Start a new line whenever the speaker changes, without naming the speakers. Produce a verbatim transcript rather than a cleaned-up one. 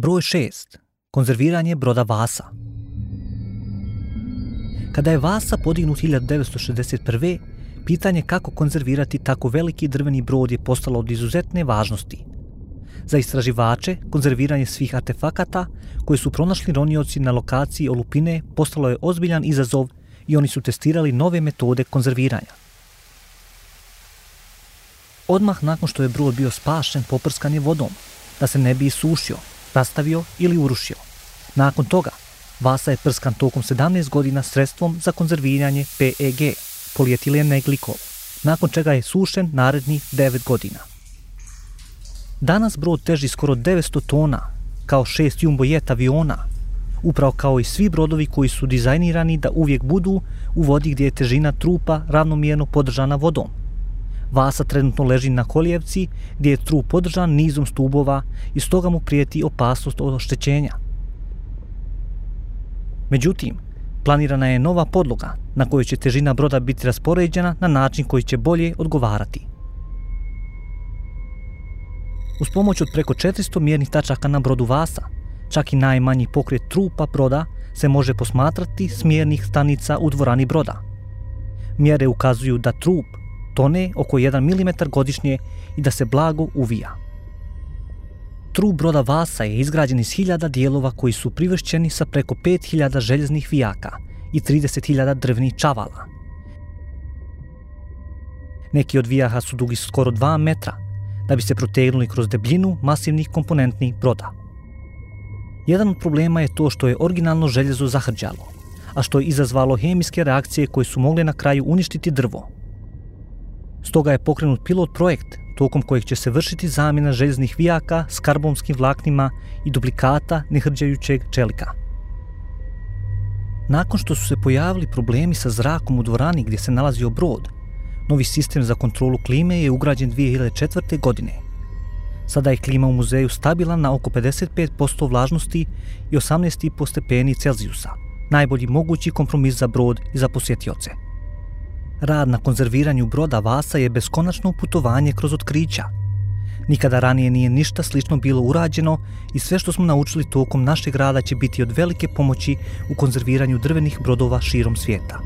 Broj šest. Konzerviranje broda Vasa. Kada je Vasa podignut hiljadu devetsto šezdeset prve. pitanje kako konzervirati tako veliki drveni brod je postalo od izuzetne važnosti. Za istraživače, konzerviranje svih artefakata koje su pronašli ronioci na lokaciji olupine postalo je ozbiljan izazov i oni su testirali nove metode konzerviranja. Odmah nakon što je brod bio spašen, poprskan je vodom, da se ne bi isušio, rastavio ili urušio. Nakon toga, Vasa je prskan tokom sedamnaest godina sredstvom za konzerviranje P E G, polietilen glikol, nakon čega je sušen narednih devet godina. Danas brod teži skoro devetsto tona, kao šest jumbo jet aviona, upravo kao i svi brodovi koji su dizajnirani da uvijek budu u vodi gdje je težina trupa ravnomjerno podržana vodom. Vasa trenutno leži na kolijevci gdje je trup podržan nizom stubova i stoga mu prijeti opasnost od oštećenja. Međutim, planirana je nova podloga na kojoj će težina broda biti raspoređena na način koji će bolje odgovarati. Uz pomoć od preko četiristo mjernih tačaka na brodu Vasa, čak i najmanji pokret trupa broda se može posmatrati s mjernih stanica u dvorani broda. Mjere ukazuju da trup tone oko jedan milimetar godišnje i da se blago uvija. Trup broda Vasa je izgrađen iz hiljada dijelova koji su privršćeni sa preko pet hiljada željeznih vijaka i trideset hiljada drvnih čavala. Neki od vijaka su dugi skoro dva metra, da bi se protegnuli kroz debljinu masivnih komponentnih broda. Jedan od problema je to što je originalno željezo zahrđalo, a što je izazvalo hemijske reakcije koje su mogle na kraju uništiti drvo. Stoga je pokrenut pilot projekt tokom kojeg će se vršiti zamjena željeznih vijaka s karbonskim vlaknima i duplikata nehrđajućeg čelika. Nakon što su se pojavili problemi sa zrakom u dvorani gdje se nalazio brod, novi sistem za kontrolu klime je ugrađen dvije hiljade četvrte. godine. Sada je klima u muzeju stabilan na oko pedeset pet posto vlažnosti i osamnaest zarez pet stepeni Celzijusa, najbolji mogući kompromis za brod i za posjetioce. Rad na konzerviranju broda Vasa je beskonačno putovanje kroz otkrića. Nikada ranije nije ništa slično bilo urađeno i sve što smo naučili tokom našeg rada će biti od velike pomoći u konzerviranju drvenih brodova širom svijeta.